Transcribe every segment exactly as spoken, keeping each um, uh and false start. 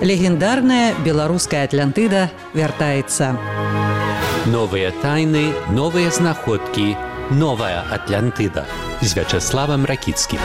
Легендарная беларуская Атлантыда вяртаецца. Новыя тайны, новыя знаходкі, новая Атлантыда з Вячеславам Ракіцкім.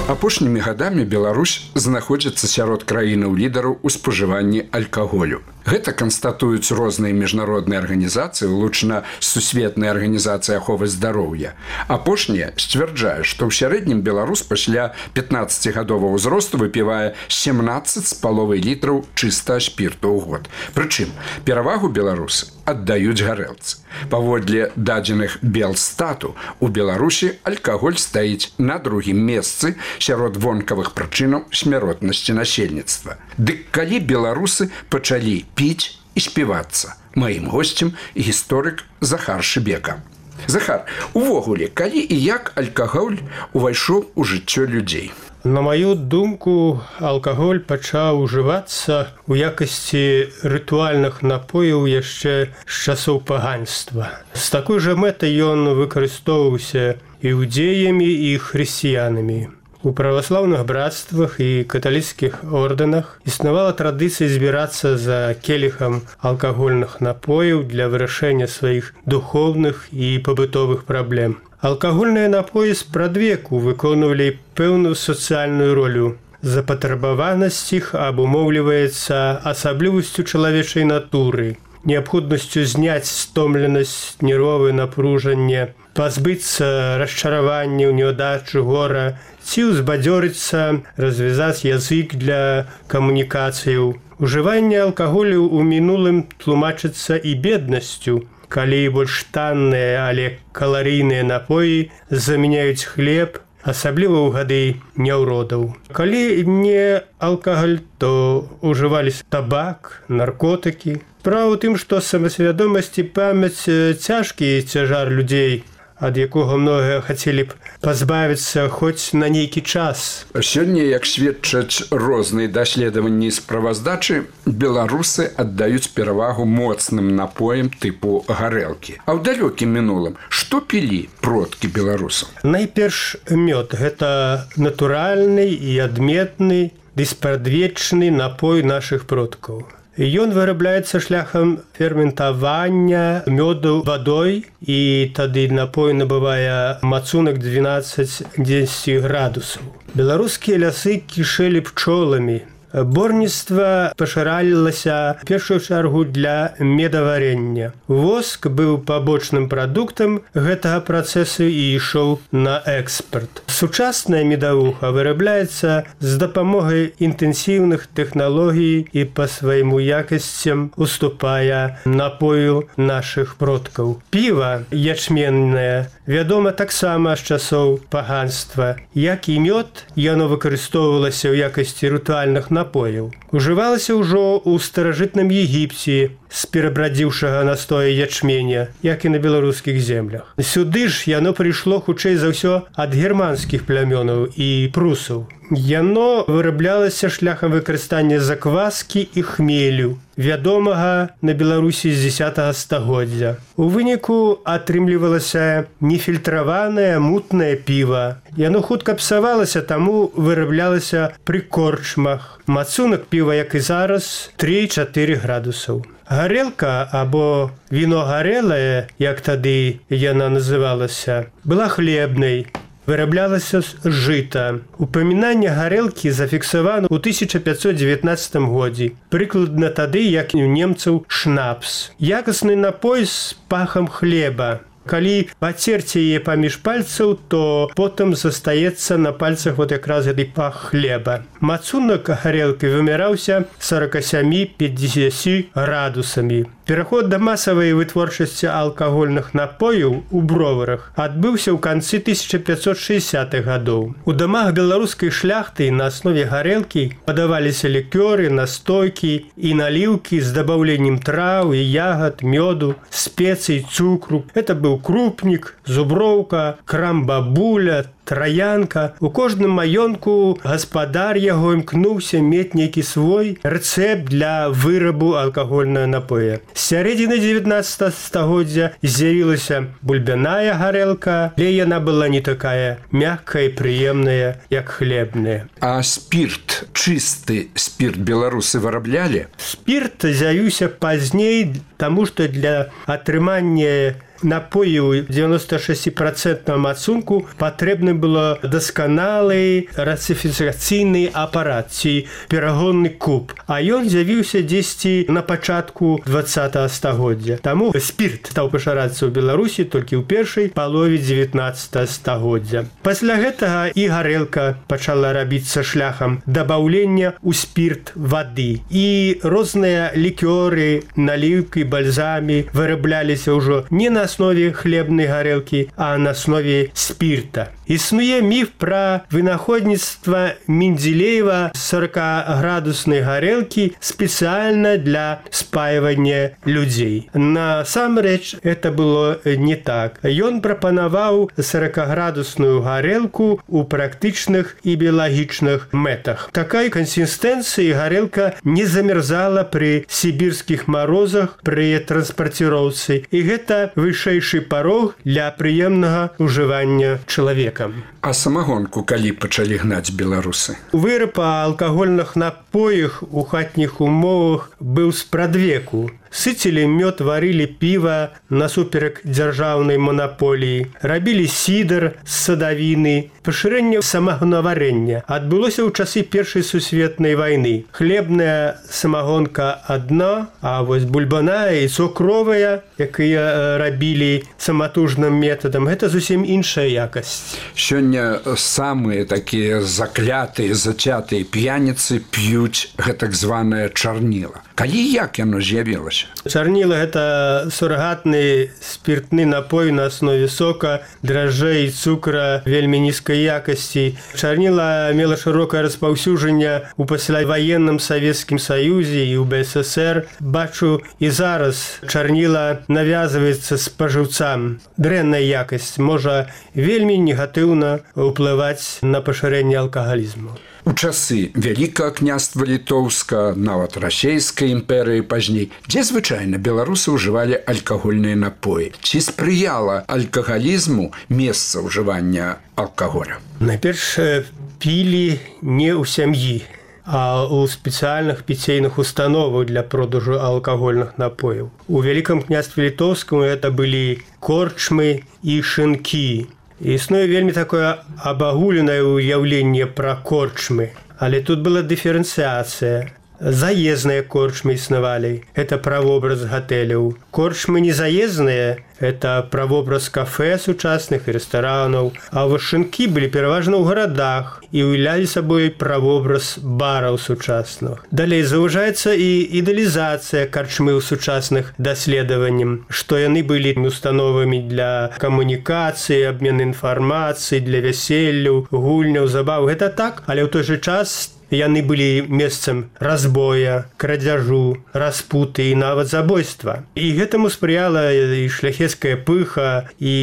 Апошнімі гадамі Беларусь знаходзіцца сярод краінаў лідараў у спажыванні алкаголю. Гэта канстатуюць розныя міжнародныя арганізацыі, улучна Сусветная арганізацыя аховы здароўя. Апошняя сцвярджае, што ў сярэднім беларус пасля пятнаццацігадовага ўзросту выпівае сямнаццаць з паловай літраў чыстага спірту ў год. Прычым, перавагу беларусы аддаюць гарэлцы. Паводле дадзеных Белстату, у Беларусі алкаголь стаіць на другім месцы сярод вонкавых прычынаў смяротнасці насельніцтва. Дык калі беларусы пачалі піць і співацца? Маім госцем гісторык Захар Шыбека. Захар, увогуле, калі і як алкаголь увайшоў у жыццё людзей? На маю думку, алкаголь пачаў ужывацца ў якасці рытуальных напояў яшчэ з часоў паганства. З такой жа мэтай ён выкарыстоўваўся іудзеямі і хрысціянамі. У праваслаўных братствах і каталіцкіх ордэнах існавала традыцыя збірацца за келіхам алкагольных напояў для вырашэння сваіх духоўных і пабытовых праблем. Алкагольныя напоі спрадвеку выконвалі пэўную сацыяльную ролю. Запатрабаванасць іх абумоўліваецца асаблівасцю чалавечай натуры, неабходнасцю зняць стомленасць, нервовае напружанне, пазбыцца расчараванняў, няўдачы, гора, ці ўзбадзёрыцца, развязаць язык для камунікацыяў. Ужыванне алкаголю ў мінулым тлумачыцца і беднасцю, калі больш танныя, але каларыйныя напоі замяняюць хлеб, асабліва ў гады няўродаў. Калі не алкаголь, то ўжываліся табак, наркотыкі. Справа ў тым, што самасвядомасць і памяць цяжкі цяжар людзей, ад якога многія хацелі б пазбавіцца хоць на нейкі час. Сёння, як сведчаць розныя даследаванні з справаздачы, беларусы аддаюць перавагу моцным напоям тыпу гарэлкі. А ў далёкім мінулым што пілі продкі беларусаў? Найперш мёд. Гэта натуральны і адметны, ды спрадвечны напой нашых продкаў. Ён вырабляецца шляхам ферментавання мёду вадой, і тады напой набывае мацунак дванаццаць-дзесяць градусаў. Беларускія лясы кішэлі пчоламі. Борніцтва пашыралілася в першую чаргу для медаварення. Воск быў пабочным прадуктам гэтага працэсу і ішоў на экспарт. Сучасная медавуха вырабляецца з дапамогай інтэнсіўных тэхналогій і па свайму якасцям уступае напою нашых продкаў. Піва ячменнае вядома таксама з часоў паганства. Як і мёд, яно выкарыстоўвалася ў якасці рытуальных напояў. напояў. Ужывалася ўжо ў старажытным Егіпце з перабрадзіўшага настоя ячменя, як і на беларускіх землях. Сюды ж яно прыйшло хутчэй за ўсё ад германскіх плямёнаў і прусаў. Яно выраблялася шляхам выкарыстання закваскі і хмелю, вядомага на Беларусі з дзесятага стагоддзя. У выніку атрымлівалася нефільтраванае мутнае піва. Яно хутка псавалася, таму выраблялася пры корчмах. Мацунак піва, як і зараз, тры-чатыры градусаў. Гарэлка, або віно гарэлае, як тады яна называлася, была хлебнай. Выраблялася з жыта. Упамінанне гарэлкі зафіксавана ў тысяча пятьсот дзевятнаццатым годзе. Прыкладна тады, як у немцаў шнапс. Якасны напой з пахам хлеба. Калі пацерці яе паміж пальцаў, то потым застаецца на пальцах вот якраз гэты пах хлеба. Мацунак гарэлкі вымяраўся сорок сем-пятьдесят градусамі. Пераход да масавай вытворчасці алкагольных напояў у броварах адбыўся ў канцы тысяча пятьсот шэсцятых гадоў. У дамах беларускай шляхты на аснове гарэлкі падаваліся лікёры, настойкі і наліўкі з дабаўленнем траў і ягад, мёду, спецый, цукру. Это быў быў крупнік, зуброўка, крам-бабуля, траянка. У кожным маёнтку гаспадар яго імкнуўся мець нейкі свой рэцэпт для вырабу алкагольнага напоя. З сярэдзіны дзевятнаццатага стагоддзя з'явілася бульбяная гарэлка, але яна была не такая мяккая і прыемная, як хлебная. А спірт, чысты спірт беларусы выраблялі? Спірт з'явіўся пазней, таму што для атрымання напою девяносто шесть процентов ацунку патрэбны было дасканалы рацыфікацыйны апарат ці перагонны куб, а ён з'явіўся дзесьці на пачатку двадцатага стагоддзя. Таму спірт стаў пашырацца ў Беларусі толькі ў першай палове дзевятнаццатага стагоддзя. Пасля гэтага і гарэлка пачала рабіцца шляхам дабаўлення ў спірт вады, і розныя лікёры, наліўкі, бальзамі вырабляліся ўжо не на основе хлебной горелки, а на основе спирта. Існуе міф пра вынаходніцтва Менделеева сорокаградуснай гарэлкі спецыяльна для спаивання людзей. Насамрэч, это было не так. Ён прапанаваў сорокаградусную гарэлку ў практычных і біялагічных мэтах. Такай кансістэнцыі гарэлка не замерзала пры сібірскіх марозах пры транспарціроўцы, і гэта вышэйшы парог для прыемнага ўжывання чалавека. А самагонку калі пачалі гнаць беларусы? Выраб алкагольных напоях у хатніх умовах быў спрадвеку. Сыцілі мёд, варылі піва насуперак дзяржаўнай манаполіі, рабілі сідар з садавіны. Пашырэнне самагонаварэння адбылося ў часы Першай сусветнай вайны. Хлебная самагонка адна, а вось бульбаная і цукровая, якія рабілі саматужным метадам, гэта зусім іншая якасць. Сёння самыя такія заклятыя, зацятыя п'яніцы п'юць гэтак званае чарніла. Калі як яно з'явілася? Чарніла – гэта сурагатны спіртны напой на аснове сока, дражджэй і цукра вельмі нізкай якасці. Чарніла мела шырокае распаўсюджанне ў пасляваенным Савецкім Саюзе і ў Бэ Эс Эс Эр. Бачу, і зараз чарніла навязваецца спажыўцам. Дрэнная якасць можа вельмі негатыўна ўплываць на пашырэнне алкагалізму. У часы Вялікага княства Літоўска, нават Расейскай імперыі пазней, дзе звычайна беларусы ўжывалі алкагольныя напоі. Ці спрыяла алкагалізму месца ўжывання алкаголя? Найперш пілі не ў сям'і, а ў спецыяльных піцейных установах для продажу алкагольных напояў. У Вялікам княстве Літоўскім гэта былі корчмы і шынкі. Існуе вельмі такое абагуленае ўяўленне пра корчмы, але тут была дыферэнцыяцыя. Заездныя корчмы існавалі, это правобраз гатэляў. Корчмы незаездныя, это правобраз кафэ сучасных і рэстаранаў, а вось шынкі былі пераважна ў гарадах і ўяўлялі сабой правобраз бараў сучасных. Далей заўважаецца і ідэалізацыя карчмы ў сучасных даследаванням, што яны былі установамі для камунікацыі, абмену інфармацыі, для вяселляў, гульняў, забаў. Гэта так, але ў той жа час яны былі месцам разбоя, крадзяжу, распуты і нават забойства. І гэтаму спрыяла і шляхецкая пыха, і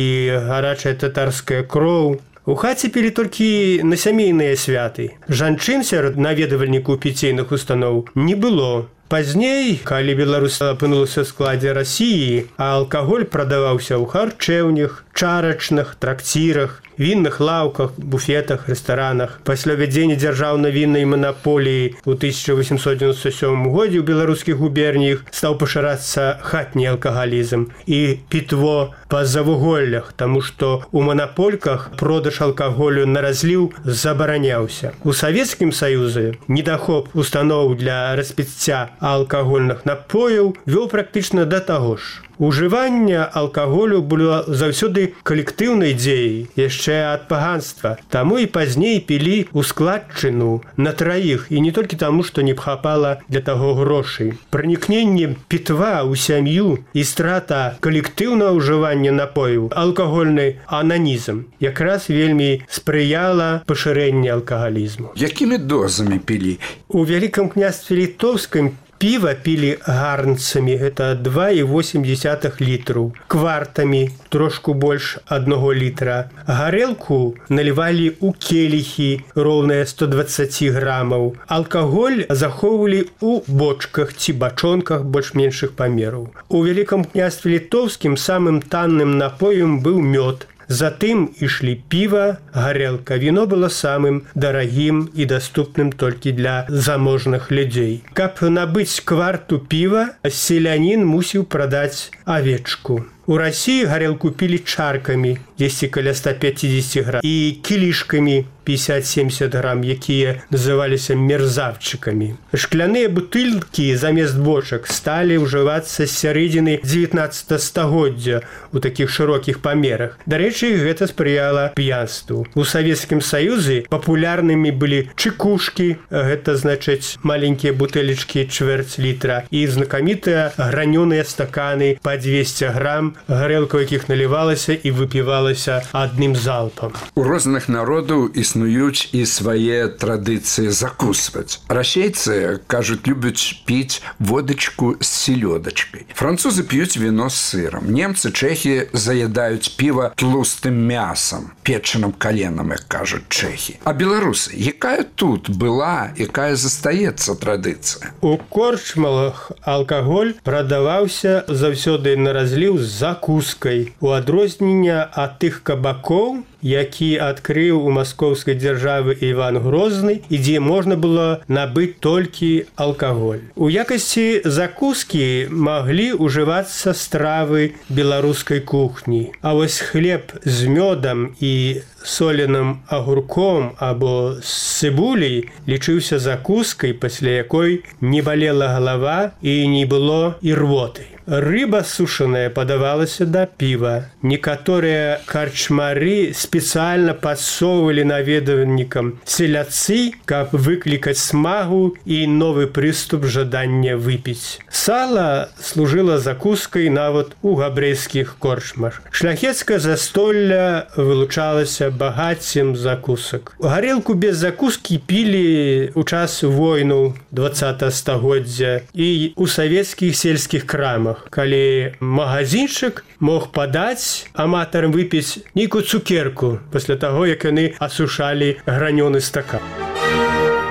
гарачая татарская кроў. У хаце пілі толькі на сямейныя святы. Жанчын сярод наведвальнікаў піцейных устаноў не было. Пазней, калі Беларусь апынулася ў складзе Расіі, а алкаголь прадаваўся ў харчэўнях, чарачных, тракцірах, вінных лаўках, буфетах, рэстаранах. Пасля ввядзення дзяржаўнай віннай манаполіі ў тысяча восемьсот девяносто сёмым годзе ў беларускіх губерніях стаў пашырацца хатні алкагалізм і пітво па завуголлях, таму што ў манапольках продаж алкаголю на разліў забараняўся. У Савецкім Саюзе недахоп устаноў для распіцця алкагольных напояў вёў практычна да таго ж. Ужыванне алкаголю было заўсёды калектыўнай дзеяй, яшчэ ад паганства. Таму і пазней пілі ў складчыну на траіх, і не толькі таму, што не хапала для таго грошай. Пранікненне пітва ў сям'ю і страта калектыўнага ўжывання напояў, алкагольны ананізм, якраз вельмі спрыяла пашырэнню алкагалізму. Якімі дозамі пілі? У Вялікам княстве Літоўскім Піва пілі гарнцамі, гэта два і восем дзесятых літраў, квартамі, трошку больш аднаго літра. Гарэлку налівалі ў келіхі, роўныя сто дваццаць грамаў. Алкаголь захоўвалі ў бочках ці бачонках больш-меншых памераў. У Вялікім княстве літоўскім самым танным напоем быў мёд. Затым ішлі піва, гарэлка. Віно было самым дарагім і даступным толькі для заможных людзей. Каб набыць кварту піва, селянін мусіў прадаць авечку. У России гарэлку пілі чаркамі, дзесьці каля ста пяцьдзесят грам, і кілішкамі пятьдесят-семьдесят грам, якія называліся мерзавчыкамі. Шкляныя бутылкі замест бочак сталі ўжывацца з сярэдзіны дзевятнаццатага стагоддзя у такіх шырокіх памерах. Дарэчы, гэта спрыяла п'янству. У Савецкім Саюзе папулярнымі былі чыкушкі, гэта значыць маленькія бутэлечкі чвэрць літра, і знакамітыя гранёныя стаканы па двести грам, гарэлка, у якіх налівалася і выпівалася адным залпам. У розных народаў існуюць і свае традыцыі закусваць. Расейцы, кажуць, любяць піць водачку з селёдачкай. Французы п'юць віно з сырам. Немцы, чэхі заядаюць піва тлустым мясам, печаным каленам, як кажуць чэхі. А беларусы, якая тут была, якая застаецца традыцыя? У корчмалах алкаголь прадаваўся заўсёды на разліў з закускай, у адрознення ад тых кабакоў, які адкрыў у маскоўскай дзяржавы Іван Грозны, і дзе можна было набыць толькі алкаголь. У якасці закускі маглі ўжывацца стравы беларускай кухні. А вось хлеб з мёдам і соленым агурком або з цыбуляй лічыўся закускай, пасля якой не балела галава і не было ірвоты. Рыба сушаная падавалася да піва. Некаторыя карчмары спецыяльна падсоўвалі наведвальнікам селядцы, каб выклікаць смагу і новы прыступ жадання выпіць. Сала служыла закускай нават у габрэйскіх корчмах. Шляхецкае застолля вылучалася багаццем закусак. Гарэлку без закускі пілі ў час войнаў дваццатага стагоддзя і ў савецкіх сельскіх крамах, калі магазинчык мог падаць аматарам выпіць нейкую цукерку пасля таго, як яны асушалі гранёны стакан.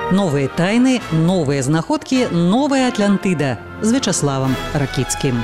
Новыя тайны, новыя знаходкі, новая Атлантыда з Вячаславам Ракіцкім.